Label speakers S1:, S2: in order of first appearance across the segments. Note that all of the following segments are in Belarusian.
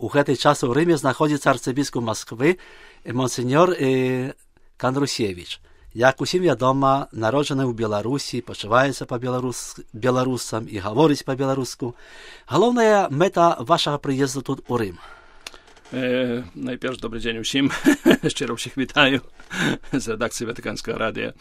S1: у гэты час у Рыме знаходзіцца арцыбіскуп Масквы монсеньор Кандрусевіч. Як усім вядома, народжаны ў Беларусі, пачуваецца па-беларусам і гаворыць па-беларуску. Галоўная мэта вашага прыезду тут у Рым.
S2: Найперш, добрий день усім. Щиро всіх вітаю з редакції Ватиканського радіо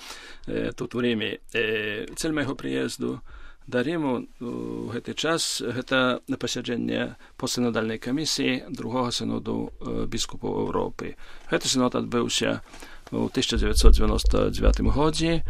S2: тут у Римі. Цель майго прыезду да Риму у гэты час гэта пасяджэнне постсінодальнай камісіі другога сіноду біскупаў Еўропы. Гэты сінод адбыўся у 1999 годзе.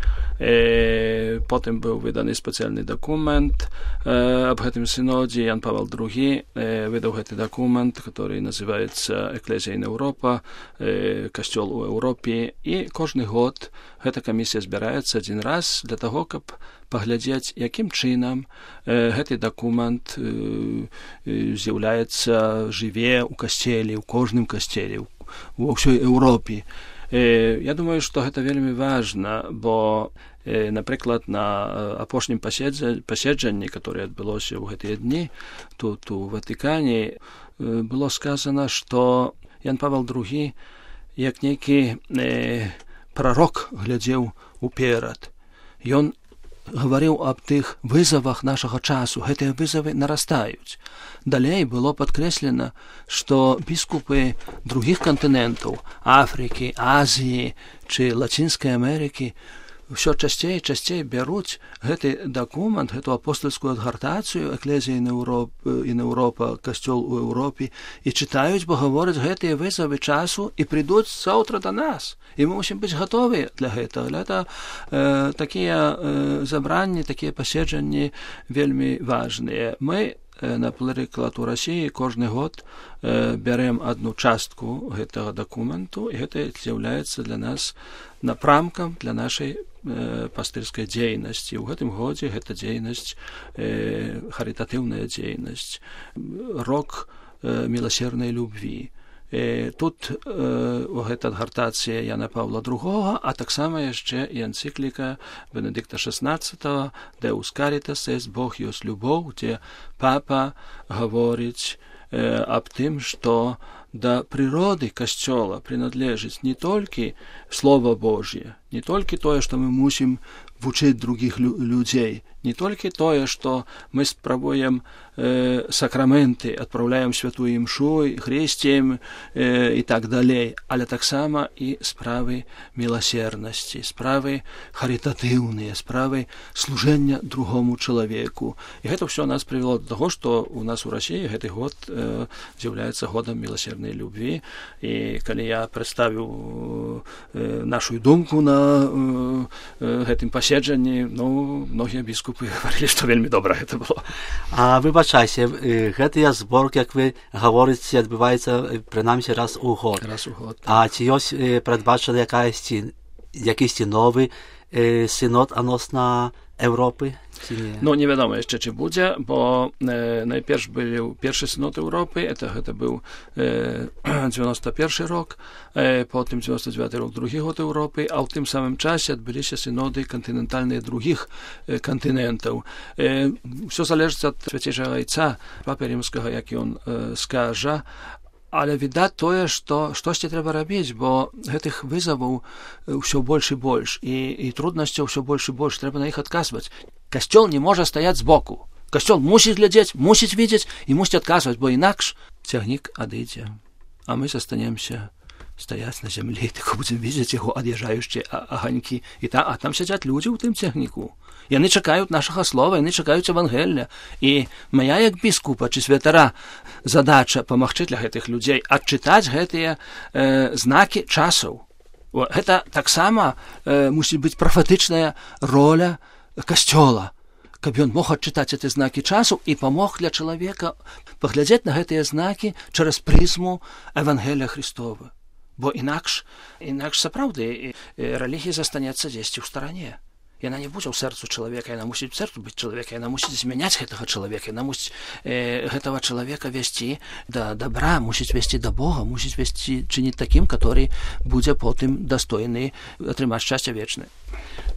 S2: Потым быў выданы спецыяльны дакумент аб гэтым сінодзе. Ян Павел II выдаў гэты дакумент, который называецца «Экклезія ін Еўропа», «Касцёл у Еўропе». І кожны год гэта камісія збіраецца адзін раз для таго, каб паглядзець, якім чынам гэты дакумент з'яўляецца, жыве ў касцеле, у кожным касцеле, ва ўсёй Еўропе. Я думаю, што гэта вельмі важна, бо, напрыклад, на апошнім паседжанні, которое адбылося ў гэтыя дні тут у Ватыкане, было сказано, што Ян Павел II як нейкі прарок глядзеў уперад. Ён гаварыў аб тых вызовах нашага часу. Гэтыя вызовы нарастаюць. Далей было падкрэслена, што біскупы другіх кантынентаў, Афрыкі, Азіі ці Лацінскай Амерыкі, ўсё часцей і часцей бяруць гэты дакумент, гэту апостольскую адгартацыю «Экклезія ін Еўропа», «Касцёл у Еўропе» і чытаюць, бо гавораць гэтыя вызовы часу і прыйдуць заўтра да нас. І мы мусім быць гатовы для гэтага. Гэта такія забранні, такія паседжанні вельмі важныя. Мы, напрыклад, у Расіі кожны год бярем адну частку гэтага дакументу, і гэта з'яўляецца для нас напрамкам для нашай пастырскай дзейнасці. У гэтым годзе гэта дзейнасць, харытатыўная дзейнасць, рок міласернай любві. Тут у гэта адгартацыя Яна Павла II, а таксама яшчэ і энцыкліка Бенедикта XVI «Deus Caritas est», «Бог ёсць любоў», дзе папа гаворыць аб тым, што да прыроды Касцёла прыналежыць не толькі Слова Божье, не толькі тое, што мы мусім вучыць другіх людзей, не толькі тое, што мы спрабуем сакраменты, адпраўляем святую імшу, хресцем і так далей, але таксама і справы міласернасці, справы харытатыўныя, справы служэння другому чалавеку. І гэта ўсё нас прывяло да таго, што у нас у Расіі гэты год з'яўляецца годам міласернай любві. І калі я прадставіў нашу думку на гэтым паседжанні, многія біскупы гаварылі, што вельмі добра гэта было.
S1: А выбачайце, гэтыя зборкі, як вы гаворыце, адбываецца прынамсі раз у год.
S2: Раз у год.
S1: А ці ёсць прадбачаны якісьці новы сінод адносна Еўропы?
S2: Ну, невядома яшчэ, ці будзе, бо найперш быў першы сінод Еўропы, гэта быў 91 рок, потым 99 рок другі год Еўропы, а ў тым самым часе адбыліся сіноды кантынентальныя другіх кантынентаў. Усё залежыць ад свяцейшага айца папы рымскага, як ён скажа, але відаць тое, што штосьці трэба рабіць, бо гэтых вызоваў ўсё больш і больш, і труднасцяў ўсё больш і больш, трэба на іх адказваць. Касцёл не можа стаяць збоку. Касцёл мусіць глядзець, мусіць видзець і мусіць адказваць, бо інакш цягнік адыдзе, а мы застанемся стаяць на зямлі, так будзем видзець яго ад'язджаючыя аганькі. А там сядзяць людзі ў тым цягніку. Яны чакаюць нашага слова, яны чакаюць Евангелля. І моя, як біскупа ці святара, задача памагчы для гэтых людзей адчытаць гэтыя знакі часаў. Гэта таксама мусіць быць прафетычная роля Касцёла, каб ён мог адчытаць гэты знакі часу і памог для чалавека паглядзець на гэтыя знакі через прызму Евангелля Христова. Бо інакш сапраўды рэлігія застанецца дзесьці ў старане. Яна не будзе ў сэрцу чалавека, яна мусіць сэрцу быць чалавека, яна мусіць змяняць гэтага чалавека, яна мусіць гэтага чалавека весці да добра, мусіць весці да Бога, мусіць весці чыніць такім, который будзе потым дастойны атрымаць шчасце вечнае.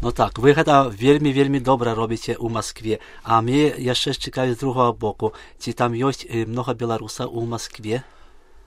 S1: Ну так, вы гэта вельмі добра робіце ў Маскве, а мне яшчэ цікавіць з другого боку, ці там ёсць многа беларусаў у Маскве?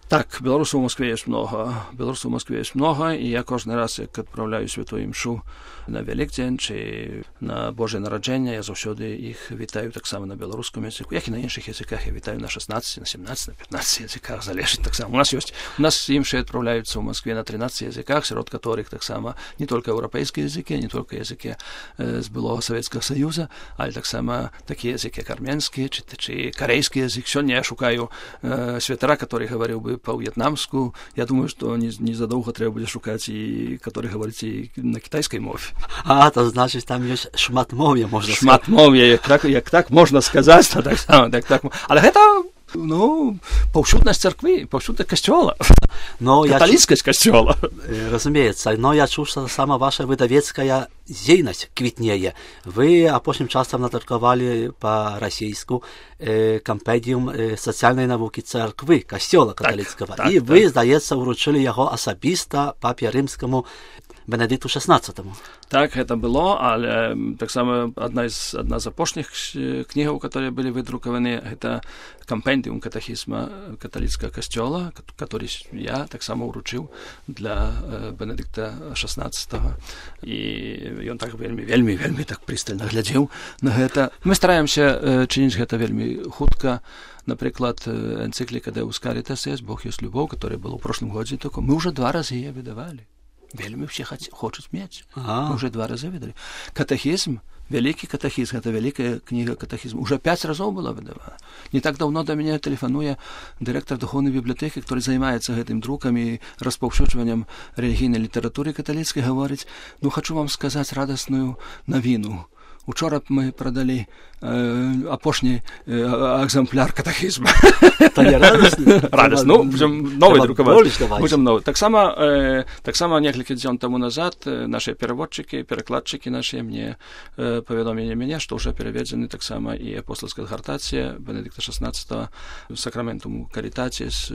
S2: Так, белорусаў у Москве есть много. Белорусаў у Москве есть много, і я кожны раз, як адпраўляю святую імшу на Вялікдзень ці на Божае нараджэнне, я заўсёды іх вітаю таксама на беларускім языку, як і на іншых языках. Я вітаю на 16, на 17, на 15 языках, залежыць таксама. У нас імшы адпраўляюцца ў Москве на 13 языках, сярод которых таксама не толькі еўрапейскія языкі, не толькі языкі з былога Савецкага Саюза, але таксама такія языкі, як армянскі ці карейскі язык. Сёння я шукаю святара, который гаварыў бы по-в'етнамску. Я думаю, что незадолго треба буде шукати, і который говорить і на китайській мові.
S1: А, то значить, там є шматмов'я, можна сказати.
S2: Шматмов'я, як так можна сказати, то так само, так. Але гэта, паўсюднасць царквы, паўсюднасць касцёла. Каталіцкасць касцёла.
S1: Разумеется, но я чуў, што сама ваша выдавецкая дзейнасць квітнее. Вы апошнім часам надрукавалі па-расійску кампендіум сацыяльнай навукі царквы, касцёла каталіцкага. І вы, здаецца, уручылі яго асабіста папе рымскаму Бенедикту XVI.
S2: Так, гэта было, але таксама одна з апошніх кнігаў, которые былі выдрукаваны, гэта кампендіум катехізма каталіцкага касцёла, который я таксама уручыў для Бенедикта XVI. І ён так вельмі так прыстальна глядзеў на гэта. Мы стараемся чыніць гэта вельмі хутка. Напрыклад, энцыкліка Deus Caritas есть, Бог есть любовь, которая была ў прошлым годзе, только мы уже 2 разы яе выдавалі. Вельмі все хочуць мець. Мы уже 2 разы выдалі. Катехізм, вялікі катехізм, гэта вялікая кніга катехізму, уже 5 разоў была выдавана. Не так даўно да мяне тэлефануе дырэктар духоўнай бібліятэкі, который займаецца гэтым друкам і распаўсюджваннем рэлігійнай літаратуры каталіцкай, гаворыць: хочу вам сказаць радасную навіну. Учора мы продали апошні экземпляр катехізма.
S1: То не радасна?
S2: Радасна. Будем новый друкаваць. Будем новый. Таксама некалькі дзён таму назад наши перакладчыкі наши мне паведомілі мяне, што ўжо пераведзены таксама і апостольская гартацыя Бенедикта XVI Сакраментум Каритатис,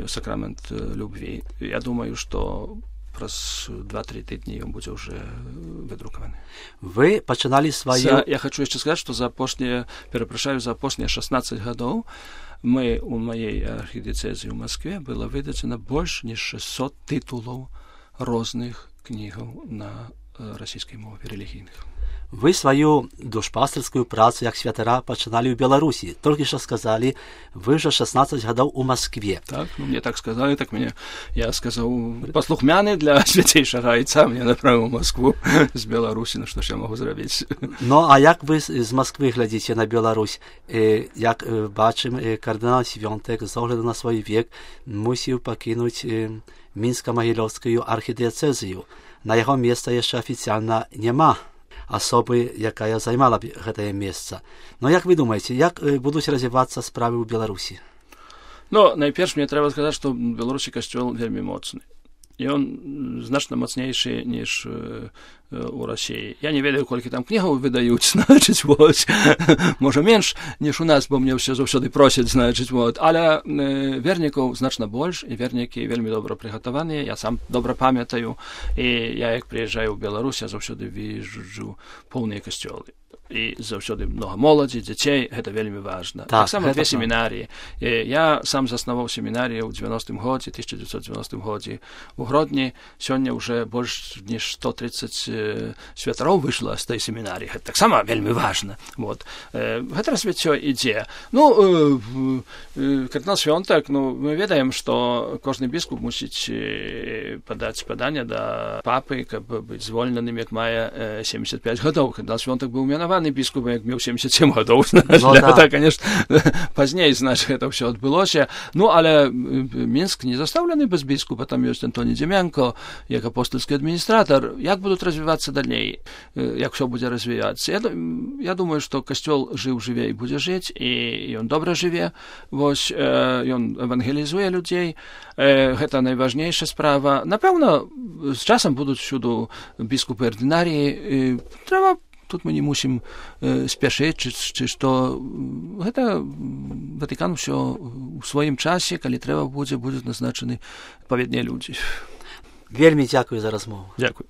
S2: Сакрамент любви. Я думаю, што праз 2-3 тыдні ён будзе ўжо выдрукаваны.
S1: Вы пачыналі сваю...
S2: Я хочу яшчэ сказаць, што за апошнія 16 гадоў мы у маёй архідыцэзіі ў Москве было выдадзена больш ніж 600 тытулаў розных кнігаў на расійскай мове рэлігійных.
S1: Вы сваю душпастырскую працу як святара пачыналі ў Беларусі. Толькі што сказалі, вы ўжо 16 гадоў у Москве.
S2: Так, мне так сказалі, так я сказаў, паслухмяны для свяцейшага айца, мне направіў у Москву з Беларусі, што ж я магу зрабіць.
S1: Ну, а як вы з Москвы глядзіце на Беларусь? Як бачым, кардынал Свёнтек з огляду на свой век мусіў пакінуць Мінска-Магілёўскую архідыцэзію. На яго месца яшчэ афіцыяльна няма асобы, якая займала гэтае месца. Но як вы думаеце, як будуць развівацца справы ў Беларусі?
S2: Найперш мне трэба сказаць, што ў Беларусі касцёл вельмі моцны. І ён значна мацнейшы, ніж у Расіі. Я не ведаю, колькі там кнігаў выдаюць, значыць, можа менш, ніж у нас, бо мне ўсе заўсёды просяць, значыць, але вернікаў значна больш, і вернікі вельмі добра прыгатаваныя, я сам добра памятаю, і я, як прыязджаю ў Беларусь, я заўсёды віжу поўныя касцёлы. І заўсёды много моладзі, дзяцей, гэта вельмі важна. Таксама 2 семінарыі. Я сам заснаваў семінарію ў 1990 годзе у Гродні. Сёння ўжо больш ніж 130 святароў выйшла з той семінарыі. Гэта таксама вельмі важна. Гэта развіццё ідзе. Кардынал Свёнтек, мы ведаем, што кожны біскуп мусіць падаць паданне да папы, каб быць звольненым, як мае 75 гадоў. Кардынал Свёнтек быў менаваны біскупам, як меў 77 гадоў. Гэта, конечно, пазней, гэта ўсё адбылося. Але Мінск не застаўлены без біскупа. Там ёсць Антоні Дземенко, як апостольскі адміністратар. Як будуць развівацца далей? Як ўсё будзе развівацца? Я думаю, што касцёл жыў-жыве і будзе жыць, і ён добра жыве. Ён евангелізуе людзей. Гэта найважнейшая справа. Напэўна, з часам будуць всюду біскупы ардынарыі. Тут мы не мусім спяшыць, ці што гэта Ватыкан ўсё у сваім часе, калі трэба будзе назначаны адпаведныя людзі.
S1: Вельмі дзякую за размову.
S2: Дзякуй.